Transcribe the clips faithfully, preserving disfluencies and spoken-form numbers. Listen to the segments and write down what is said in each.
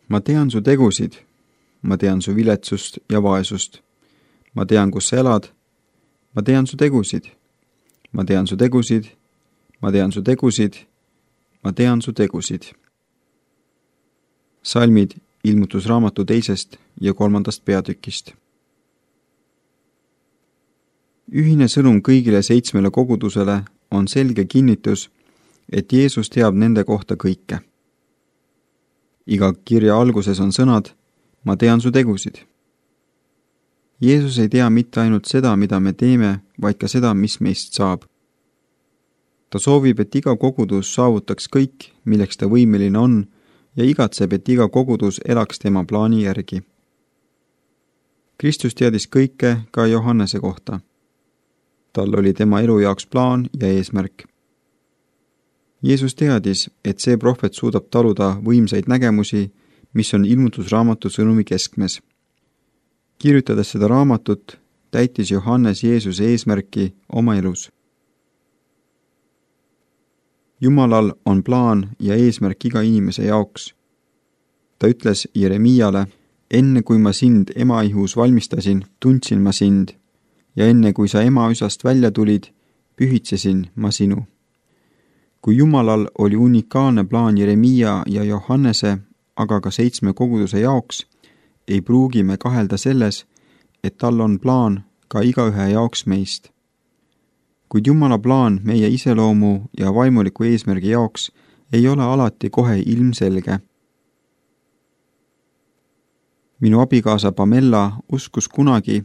ma tean su tegusid, ma tean su viletsust ja vaesust. ma tean, kus sa elad, ma tean su tegusid, ma tean su tegusid, ma tean su tegusid, ma tean su tegusid. Salmid ilmutusraamatu teisest ja kolmandast peatükist. Ühine sõnum kõigile seitsmele kogudusele on selge kinnitus, et Jeesus teab nende kohta kõike. Iga kirja alguses on sõnad, ma tean su tegusid. Jeesus ei tea mitte ainult seda, mida me teeme, vaid ka seda, mis meist saab. Ta soovib, et iga kogudus saavutaks kõik, milleks ta võimeline on, ja igatseb, et iga kogudus elaks tema plaani järgi. Kristus teadis kõike ka Johannese kohta. Tal oli tema elu jaoks plaan ja eesmärk. Jeesus teadis, et see prohvet suudab taluda võimsaid nägemusi, mis on ilmutusraamatu sõnumi keskmes. Kirjutades seda raamatut, täitis Johannes Jeesuse eesmärki oma elus. Jumalal on plaan ja eesmärk iga inimese jaoks. Ta ütles Jeremiale, enne kui ma sind emaihus valmistasin, tundsin ma sind, ja enne kui sa emaüsast välja tulid, pühitsesin ma sinu. Kui Jumalal oli unikaalne plaan Jeremia ja Johannese, aga ka seitsme koguduse jaoks, ei pruugi me kahelda selles, et tal on plaan ka igaühe jaoks meist. Kuid Jumala plaan meie iseloomu ja vaimuliku eesmärgi jaoks ei ole alati kohe ilmselge. Minu abikaasa Pamela uskus kunagi,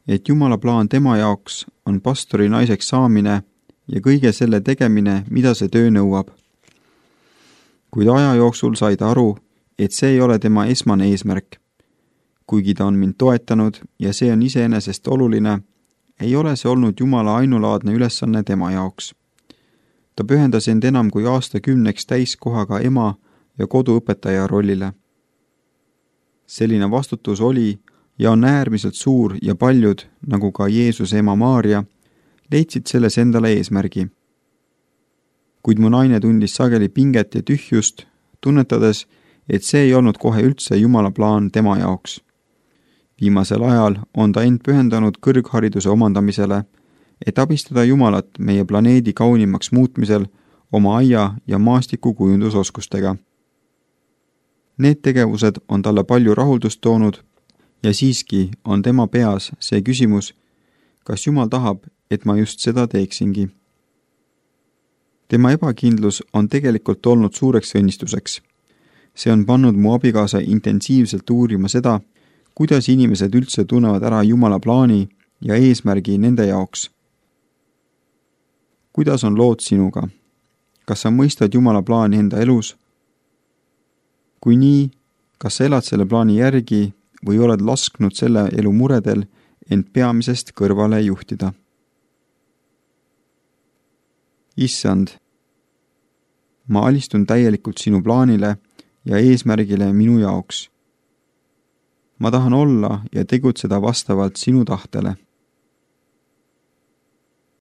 et Jumala plaan tema jaoks on pastori naiseks saamine ja kõige selle tegemine, mida see töö nõuab. Kuid aja jooksul sai ta aru, et see ei ole tema esmane eesmärk. Kuigi ta on mind toetanud ja see on iseenesest oluline, ei ole see olnud Jumala ainulaadne ülesanne tema jaoks. Ta pühendas end enam kui aastakümneks täiskohaga ema ja koduõpetaja rollile. Selline vastutus oli ja on äärmiselt suur ja paljud, nagu ka Jeesuse ema Maarja, leidsid selles endale eesmärgi. Kuid mu naine tundis sageli pinget ja tühjust, tunnetades, et see ei olnud kohe üldse Jumala plaan tema jaoks. Viimasel ajal on ta end pühendanud kõrghariduse omandamisele, et abistada Jumalat meie planeedi kaunimaks muutmisel oma aia- ja maastikukujundusoskustega. Need tegevused on talle palju rahuldust toonud ja siiski on tema peas see küsimus, kas Jumal tahab, et ma just seda teeksingi. Tema ebakindlus on tegelikult olnud suureks õnnistuseks. See on pannud mu abikaasa intensiivselt uurima seda, kuidas inimesed üldse tunnevad ära Jumala plaani ja eesmärgi nende jaoks. Kuidas on lood sinuga? Kas sa mõistad Jumala plaani enda elus? Kui nii, kas sa elad selle plaani järgi või oled lasknud selle elu muredel end peamisest kõrvale juhtida? Issand, ma alistun täielikult sinu plaanile ja eesmärgile minu jaoks. Ma tahan olla ja tegutseda vastavalt sinu tahtele.